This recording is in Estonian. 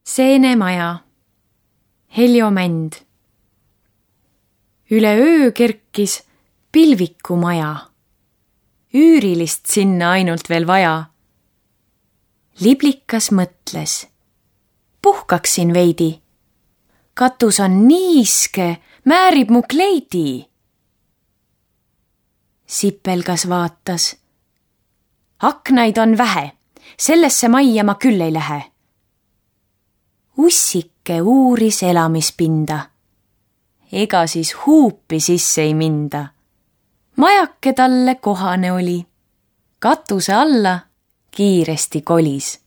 Seenemaja. Heljo Mänd. Üle öö kerkis pilvikumaja. Üürilist sinna ainult veel vaja. Liblikas mõtles. Puhkaksin veidi. Katus on niiske, määrib mu kleidi. Sipelgas vaatas. Aknaid on vähe, sellesse majja ma küll ei lähe. Ussike uuris elamispinda. Ega siis huupi sisse ei minda. Majake talle kohane oli. Katuse alla kiiresti kolis.